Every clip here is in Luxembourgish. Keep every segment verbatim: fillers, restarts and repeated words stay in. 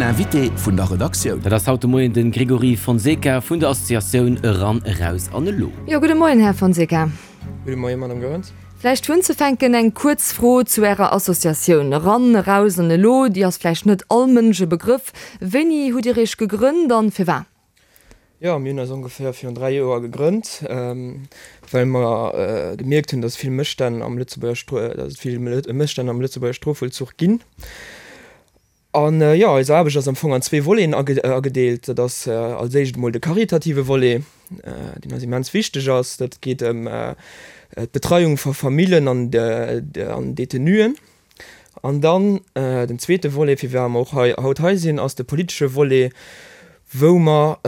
Den Invité vun der Redaktioun. Dat ass haut de Moien de Grégory Fonseca vun der Associatioun Eran, Eraus an Elo. Jo, gudde Moien, Här Fonseca. Gudde Moien, Madame Goerens. Vläicht fir unzefänken eng kuerz Fro zu Ärer Associatioun Eran, Eraus an Elo. Déi ass vläicht net all Mënsch e Begrëff. Wéini hutt Dir Iech gegrënnt an firwat? Jo, mir hunn eis ongeféier virun dräi Joer gegrënnt, well mer gemierkt hunn, dass vill Mësstänn am Lëtzebuerger, dass et vill Mësstänn am Lëtzebuerger Strofvollzuch ginn. An jo, eis Aarbecht ass am Fong an zwee Voleten agedeelt. Dat ass als éischt emol de karitative Volet, deen eis immens wichteg ass. Dat geet ëm d'Betreiung vu Famillen an Detenuen. An dann den zweete Volet, fir wat mer och hei haut hei sinn, ass de politesche Volet, wou mer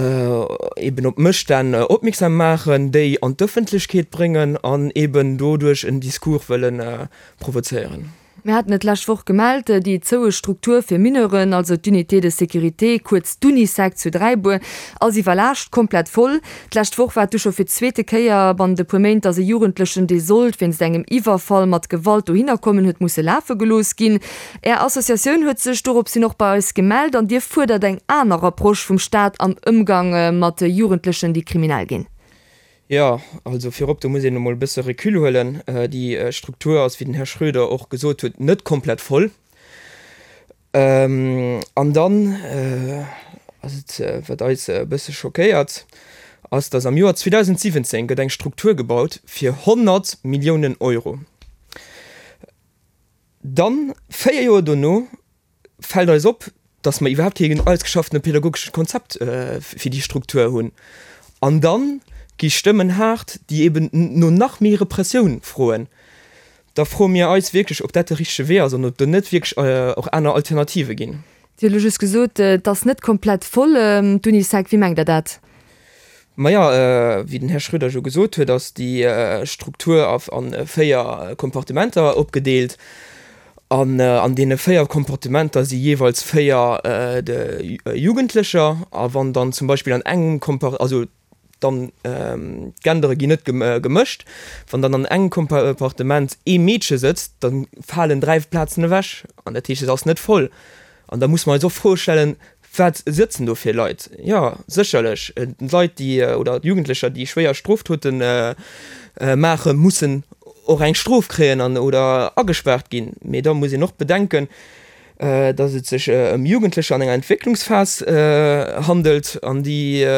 eeben op Mësstänn opmierksam maachen, déi an d'Ëffentlechkeet bréngen an eeben doduerch en Discours wëlle provozéieren. Mir haten et d'lescht Woch gemellt, déi zoue Struktur fir Mineuren, also d'Unité de sécurité, kuerz d'Unisec zu Dräibuer, ass iwwerlaascht, komplett voll. D'lescht Woch war et du scho fir d'zweete Kéier bannent e puer Méint, datt e Jugendlechen, dee sollt wéinst engem Iwwerfall mat Gewalt dohinner kommen, huet musse lafe gelooss ginn. Är Associatioun huet sech doropshin och bei eis gemellt an Dir fuerdert eng aner Approche vum Staat am Ëmgang mat Jugendlechen, déi kriminell ginn. Jo, also virop, do muss een emol e bësse Recul huelen. Déi Struktur ass, wéi den Här Schroeder och gesot huet, net komplett voll. An dann ass et, wat eis e bësse schockéiert, ass, dass am Joer zweedausendsiwwenzéng gëtt eng Struktur gebaut fir honnert Milliounen Euro. Dann, véier Joer dono, fält eis op, dass mer iwwerhaapt keen ausgeschaffene pädagogesche Konzept fir déi Struktur hunn. An dann gi Stëmmen haart, déi eben no nach méi Repressioun froen. Da froe mir eis wierklech, ob dat de richtege Wee ass an ob do net wierklech och aner Alternative ginn. Dir hutt elo just gesot, et ass net komplett voll, d'Unisec. Wéi mengt Der dat? Maja, wéi den Här Schroeder jo gesot huet, ass déi Struktur a véier Kompartimenter opgedeelt. An an deene véier Kompartimenter si jeeweils véier Jugendlecher. A wann dann zum Beispill an engem Kompart-, also dann d'Gendere ginn net gemëscht, wann dann an engem Kompartiment ee Meedche sëtzt, da falen dräi Plazen ewech. An dat heescht, et ass net voll. An da musse mer eis och d'Fro stellen, Wat sëtzen do fir Leit? Jo, sécherlech, d'Leit, déi, oder d'Jugendlecher, déi schwéier Stroftote maachen, mussen och eng Strof kréien an, oder agespaart ginn. Mee da muss een och bedenken, datt et sech ëm Jugendlecher an enger Entwécklungsphas handelt an déi,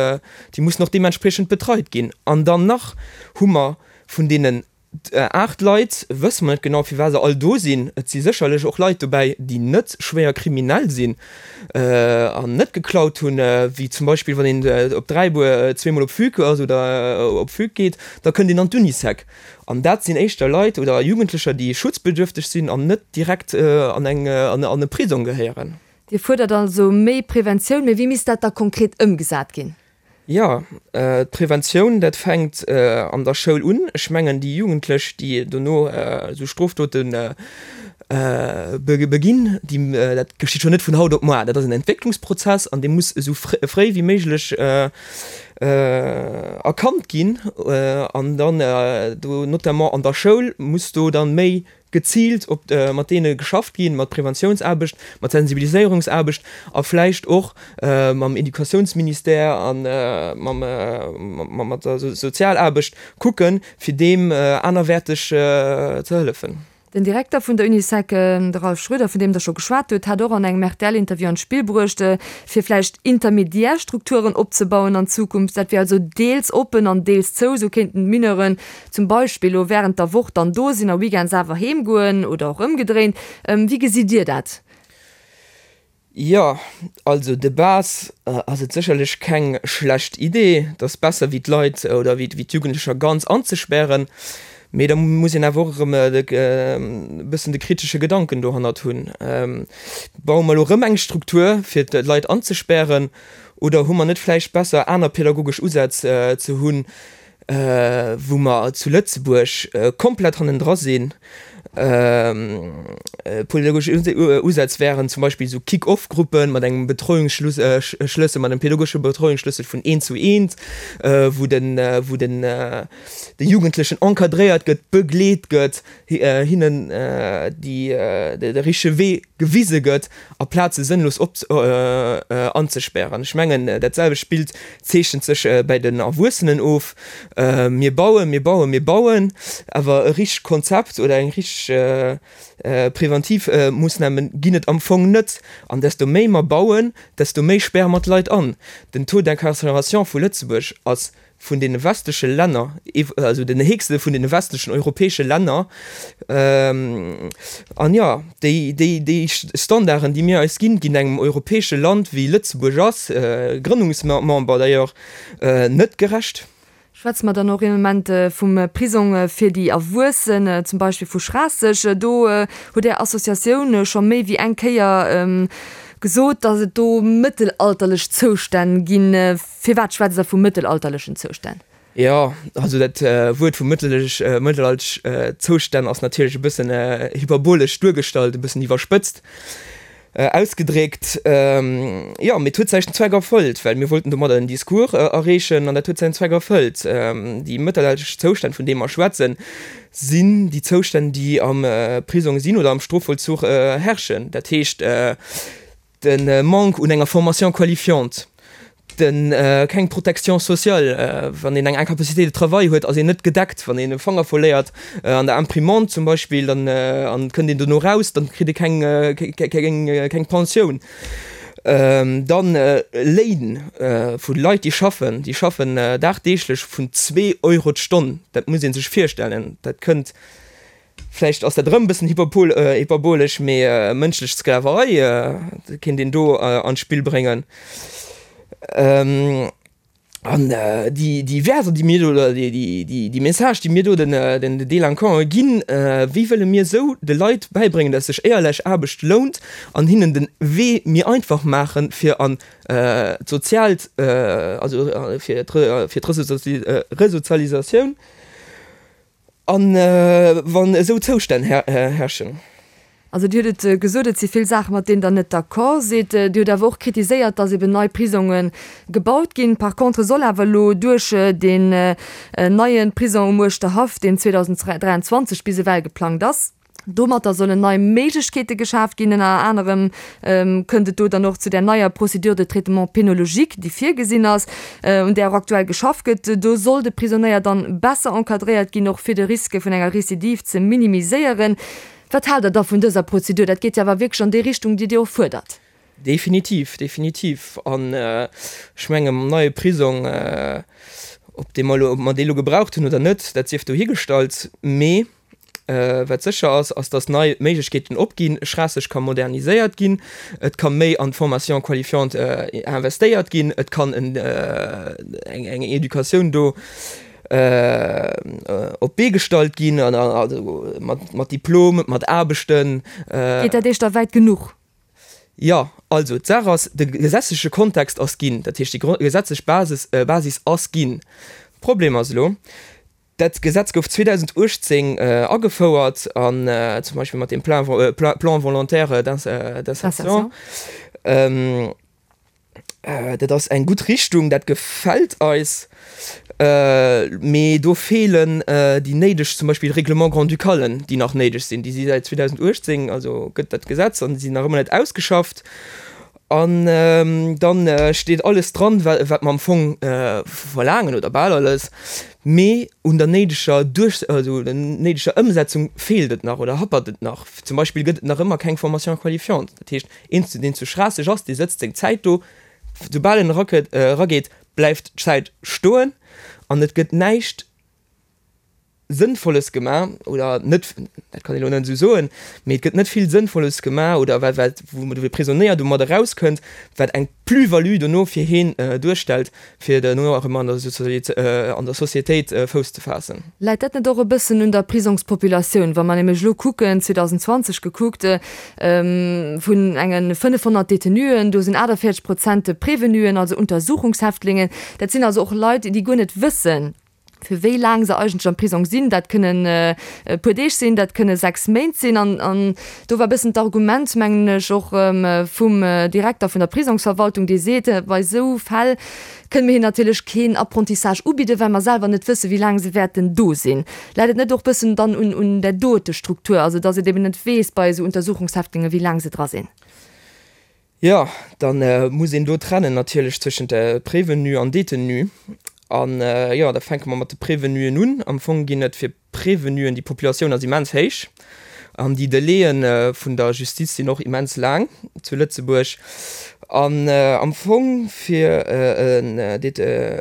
déi mussen och deementspriechend betreit ginn. An dann nach hu mer vun deenen Aacht Leit wësse mer net genau, firwat se all do sinn. Et si sécherlech och Leit dobäi, déi net schwéier kriminell sinn an net geklaut hunn, wéi zum Beispill wann een op Dräibuer zweemol op Fugue ass oder op Fugue geet, da kënnt een an d'Unisec. An dat sinn éischter Leit oder Jugendlecher, déi schutzbedürfteg sinn an net direkt an eng an e Prisong gehéieren. Dir fuerdert also méi Preventioun. Mee wéi misst dat da konkret ëmgesat ginn? Jo, d'Preventioun, dat fänkt an der Schoul un. Ech mengen, déi Jugendlech, déi dono esou Strofdote beginn, déi, dat geschitt jo net vun haut op muar. Dat ass en Entwécklungsprozess an dee muss esou fréi wéi méiglech erkannt ginn. An dann do notamment an der Schoul muss do dann méi geziilt op mat deene geschafft ginn, mat Preventiounsaarbecht, mat Sensibiliséierungsaarbecht a vläicht och mam Educatiounsministère a mam mat der Sozialaarbecht kucken, fir deem anerwäerteg ze hëllefen. Den Direkter vun der Unisec, de Ralph Schroeder, vun deem Der scho geschwat hutt, hat och an engem R T L-Interview an d'Spill bruecht, fir vläicht intermediär Strukturen opzebauen an Zukunft. Dat wier also deels oppen an deels zou. Esou kéinten d'Mineuren zum Beispill elo wärend der Woch dann do sinn a weekends awer heem goen oder och ëmgedréint. Wéi gesitt Dir dat? Jo, also de base ass et sécherlech keng schlecht Idee. Et ass besser wéi d'Leit oder wéi d'Jugendlecher ganz anzespären. Mee da muss een awer och erëm e bëssen de kritesche Gedanken dohannert hunn. Baue mer elo erëm eng Struktur, fir d'Leit anzespären, oder hu mer net vläicht besser, aner pädagogesch Usätz ze hunn, wou mer zu Lëtzebuerg komplett hannendra sinn, Pädagogesch Usätz wären zum Beispill esou Kick-off-Gruppen mat engem Betreuungsschlëssel, mat engem pädagogesche Betreuungsschlëssel vun eent zu eent, wou den, wou den, de Jugendlechen encadréiert gëtt, begleet gëtt, hinnen déi, de richtege Wee gewise gëtt, aplaz se sënnlos op, anzespären. Ech mengen, dat selwecht Bild zeechent sech bäi den Erwuessenen of. Mir bauen, mir bauen, mir bauen, awer e richtegt Konzept oder eng richteg preventiv Moossname ginn et am Fong net. An desto méi mer bauen, desto méi späre mer d'Leit an. Den Taux d'incarcération vu Lëtzebuerg ass vun deene westleche Länner, also den héchste vun deene westlechen europäesche Länner. An jo, déi, déi, déi Standarden, déi mir eis ginn, ginn engem europäesche Land wéi Lëtzebuerg ass, Grënnungsmember d'ailleurs, net gerecht. Schwätze mer dann och ee Moment vum Prisong fir déi Erwuessen, zum Beispill vu Schraasseg. Do huet Är Associatioun scho méi wéi eng Kéier gesot, datt et do mëttelalterlech Zoustänn ginn. Firwat schwätzt Der vu mëttelalterlechen Zoustänn? Jo, also dat Wuert vu mëttelalterlech Zoustänn ass natierlech e bëssen hyperbolesch duergestallt, e bëssen iwwerspëtzt ausgedréckt. Jo, mee et huet säin Zweck erfëllt, well mir wollten domadder en Discours erreechen an dat huet säin Zweck erfëllt. Déi mëttelalterlech Zoustänn, vun deene mer schwätzen, sinn déi Zoustänn, déi am Prisong sinn oder am Strofvollzuch herrschen. Dat heescht, de Manque un enger Formation qualifiante, de keng Protection sociale, wann een eng Incapacité de travail huet, ass een net gedeckt, wann een e Fanger verléiert an der Imprimante zum Beispill, dann an kënnt een dono raus, dann kritt ee keng keng Pensioun. Dann Léin vu Leit, déi schaffen, déi schaffen dagdeeglech vun zwee Euro d'Stonn, dat muss ee sech virstellen, dat kënnt Vläicht ass dat erëm e bëssen hyperbolesch, mee mënschlech Sklaverei kéint een do an d'Spill bréngen. An déi Wäerter, déi mir do, oder déi Message, déi mir do den Delinquanten ginn, wéi wëlle mir esou de Leit bäibréngen, dass sech éierlech Aarbecht lount an hinnen de Wee méi einfach maachen, fir an d'soziaalt, also fir d'Resozialisatioun? An wann esou Zoustänn herrschen. Also Dir hutt et gesot, et si vill Saachen, mat deenen Der net d'accord sidd. Dir hutt awer och kritiséiert, datt eben nei Prisonge gebaut ginn. Par contre soll awer elo duerch deen neie Prisong um Uerschterhaff, deen zweedausenddräianzwanzeg bis ewell geplangt ass, Domatter sollen nei Méiglechkeete geschaaft ginn. Ënner anerem kënnt et do dann och zu där neier Procédure de traitement pénologique, déi virgesinn ass, un där och aktuell geschafft gëtt. Do soll de Prisonéier dann besser encadréiert ginn, och fir de Risque vun enger Recidive ze minimiséieren. Wat haalt Der da vun dëser Prozedur? Dat geet jo awer wierklech an déi Richtung, déi Dir och fuerdert. Definitiv, definitiv. An ech menge mam neie Prisong, ob dee mer elo, ob mer dee elo gebraucht hunn oder net, dat sief dohigestallt, mee Wat sécher ass, ass datt nei Méiglechkeeten opginn, Schraasseg ka moderniséiert ginn, et ka méi an d'Formation qualifiante investéiert ginn, et kann eng eng Educatioun do op d'Bee gestallt ginn, also mat Diplom, mat Aarbechten. Geet dat Iech da wäit genuch? Jo, also d'Saach ass, de gesetzleche Kontext ass ginn, dat heescht déi gesetzlech Basis Basis ass ginn. Problem ass elo, Dat Gesetz gouf zweedausenduechtzéng agefouert an zum Beispill mat dem Plan volontaire d'insertion. Dat ass eng gutt Richtung, dat gefält eis, mee do feelen déi néideg, zum Beispill Règlements grand-ducalen, déi nach néideg sinn. Déi si säit zweedausenduechtzéng, also gëtt dat Gesetz, an déi sinn nach ëmmer net ausgeschafft. An dann steet alles dran, wat mer am Fong verlaangen, oder bal alles, mee un der néideger Duerch-, also der néideger Ëmsetzung feelt et nach oder happert et nach. Zum Beispill gëtt et nach ëmmer keng Formation qualifiante. Dat heescht, een, deen zu Schraasseg ass, dee sëtzt seng Zäit do, soubal en erageet, bleift d'Zäit stoen an et gëtt näischt Sënnvolles gemaach, oder net, dat kann een elo net esou soen, mee et gëtt net vill Sënnvolles gemaach, oder wat, wat, wou de Prisonéier domat erauskënnt, wat eng Plus-value dono fir heen duerstellt, fir dono erëm an der an der Societéit Fouss ze faassen. Läit dat net och e bëssen un der Prisongspopulatioun? Wa mer nämlech elo kucken, zweedausendzwanzeg gekuckt, vun enge fënnefhonnert Detenuen, do sinn aachtavéierzeg Prozent Prévenuen, also Untersuchungshäftlingen. Dat sinn also och Leit, déi guer net wëssen, fir wéi laang se eigentlech am Prisong sinn. Dat kënnen e puer Deeg sinn, dat kënne sechs Méint sinn. An, an do war e bëssen d'Argument, mengen ech, och vum Direkter vun der Prisongsverwaltung, dee seet, bei esou Fäll kënne mir hinnen natierlech keen Apprentissage ubidden, well mer selwer net wëssen, wéi laang se wäerten do sinn. Läit et net och e bëssen dann un, un där dote Struktur, also datt et eben net weess bei esou Untersuchungshäftlingen, wéi laang se dra sinn? Jo, da muss een do trennen natierlech zwëschent Prévenu an Détenu. An jo, da fänke mer mat de Prévenuen un. Am Fong ginn et fir Prévenuen, déi Populatioun ass immens héich an déi Delaie vun der Justiz sinn och immens laang zu Lëtzebuerg. An am Fong fir en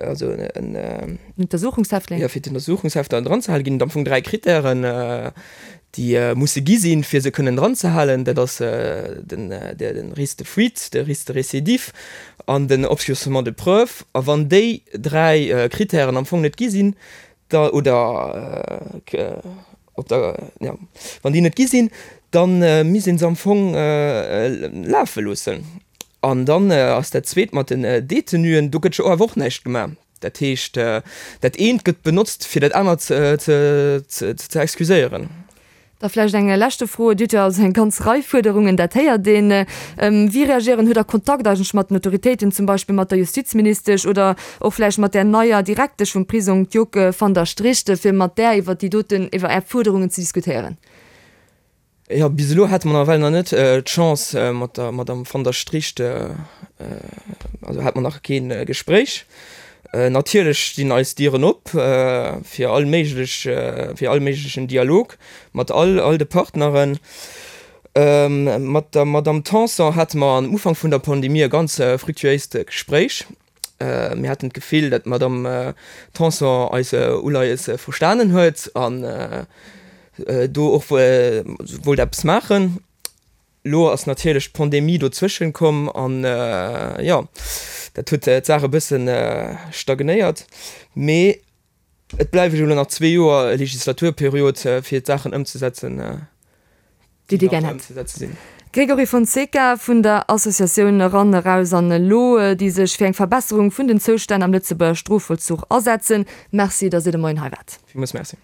also en Untersuchungshäftling, jo, fir d'Untersuchungshäftler dranzehalen, ginn et am Fong dräi Krittären, déi musse gi sinn, fir se kënnen dranzehalen. Dat ass den de Risque de fuite, de Risque de récidive an den Obscurcissement de preuves. A wann déi dräi Krittären am Fong net gi sinn, da oder op der, jo, wann déi net gi sinn, da misst ee se am Fong lafe loossen. An dann ass dat Zweet mat den Détenuen, do gëtt jo awer och näischt gemaach. Dat heescht, dat eent gëtt benotzt, fir dat anert ze excuséieren. Da vläicht eng leschte Fro, Dir hutt jo also eng ganz Rei Fuerderungen, dat héiert een. Wéi reagieren, hutt Der Kontakt eigentlech mat den Autoritéiten, zum Beispill mat der Justizministesch oder och vläicht mat där neier Direktesch vum Prisong, d'Joke van der Stricht, fir mat där iwwer déi doten, iwwer Är Fuerderungen ze diskutéieren? Jo, bis elo hate mer nawell nach net d'Chance mat der Madame van der Stricht, also hate mer nach kee Gespréich. Natierlech stinn eis Dieren op fir all méiglech, fir all méiglechen Dialog mat all, all de Partneren. Mat der Madame Tanson hate mer am Ufank vun der Pandemie e ganz fructuéist Gespréich. Mir haten d'Gefill, datt d'Madame Tanson eis Uleies verstanen huet an do och wollt eppes maachen. Lo ass natierlech d'Pandemie dozwëschen komm an jo, dat huet d'Saach e bëssen stagnéiert. Mee et bleiwe jo elo nach zwee Joer Legislaturperiod, fir d'Saachen ëmzesetzen, déi Dir gär hätt. Grégory Fonseca vun der Associatioun Eran, Eraus an Elo, déi sech fir eng Verbesserung vun den Zoustänn am Lëtzebuerger Strofvollzuch asetzen. Merci, datt Dir de Moien hei waart. Villmools Merci.